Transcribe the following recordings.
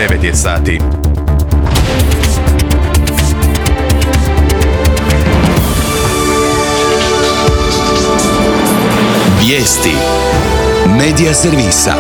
9 je sati. Vijesti Medija servisa.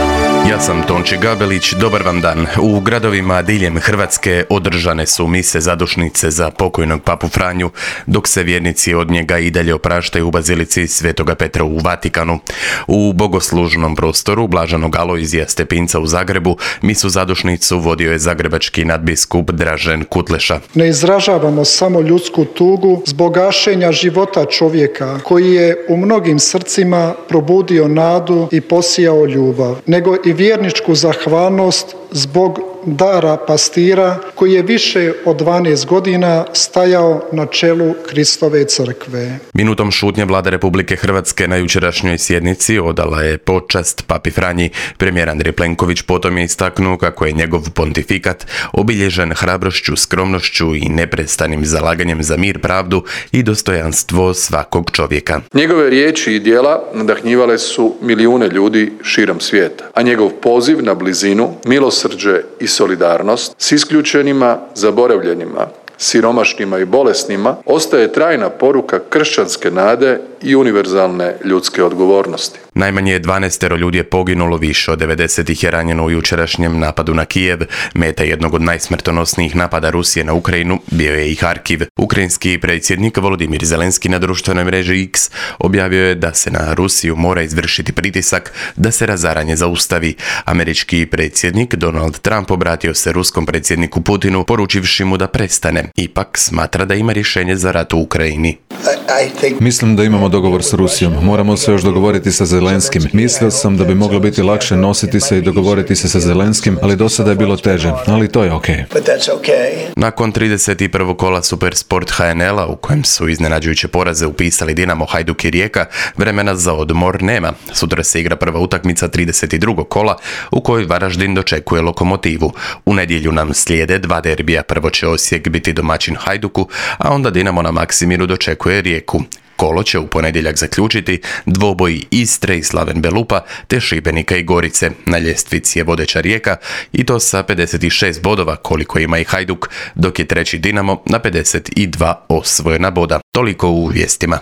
Ja sam Tonči Gabelić, dobar vam dan. U gradovima diljem Hrvatske održane su mise zadušnice za pokojnog papu Franju, dok se vjernici od njega i dalje opraštaju u bazilici Svetoga Petra u Vatikanu. U bogoslužnom prostoru Blaženog Alojzija Stepinca u Zagrebu misu zadušnicu vodio je zagrebački nadbiskup Dražen Kutleša. Ne izražavamo samo ljudsku tugu zbog gašenja života čovjeka koji je u mnogim srcima probudio nadu i posijao ljubav, nego i vjerničku zahvalnost zbog dara pastira koji je više od 12 godina stajao na čelu Kristove crkve. Minutom šutnje Vlada Republike Hrvatske na jučerašnjoj sjednici odala je počast papi Franji. Premijer Andrej Plenković potom je istaknuo kako je njegov pontifikat obilježen hrabrošću, skromnošću i neprestanim zalaganjem za mir, pravdu i dostojanstvo svakog čovjeka. Njegove riječi i djela nadahnjivale su milijune ljudi širom svijeta, a njegov poziv na blizinu, milosrđe i solidarnost s isključenima, zaboravljenima, siromašnima i bolesnima ostaje trajna poruka kršćanske nade i univerzalne ljudske odgovornosti. Najmanje 12 ljudi je poginulo, više od 90 ih je ranjeno u jučerašnjem napadu na Kijev. Meta jednog od najsmrtonosnijih napada Rusije na Ukrajinu bio je i Harkiv. Ukrajinski predsjednik Volodimir Zelenski na društvenoj mreži X objavio je da se na Rusiju mora izvršiti pritisak da se razaranje zaustavi. Američki predsjednik Donald Trump obratio se ruskom predsjedniku Putinu poručivši mu da prestane. Ipak smatra da ima rješenje za rat u Ukrajini. Mislim da imamo dogovor s Rusijom. Moramo se još dogovoriti sa Zelenskim. Mislio sam da bi moglo biti lakše nositi se i dogovoriti se sa Zelenskim, ali do sada je bilo teže. Ali to je okej. Nakon 31. kola Supersport HNL-a, u kojem su iznenađujuće poraze upisali Dinamo, Hajduk i Rijeka, vremena za odmor nema. Sutra se igra prva utakmica 32. kola, u kojoj Varaždin dočekuje Lokomotivu. U nedjelju nam slijede dva derbija. Prvo će Osijek biti domaćin Hajduku, a onda Dinamo na Maksimiru dočekuje Rijeku. Kolo će u ponedjeljak zaključiti dvoboji Istre i Slaven Belupa te Šibenika i Gorice. Na ljestvici je vodeća Rijeka i to sa 56 bodova koliko ima i Hajduk, dok je treći Dinamo na 52 osvojena boda. Toliko u vijestima.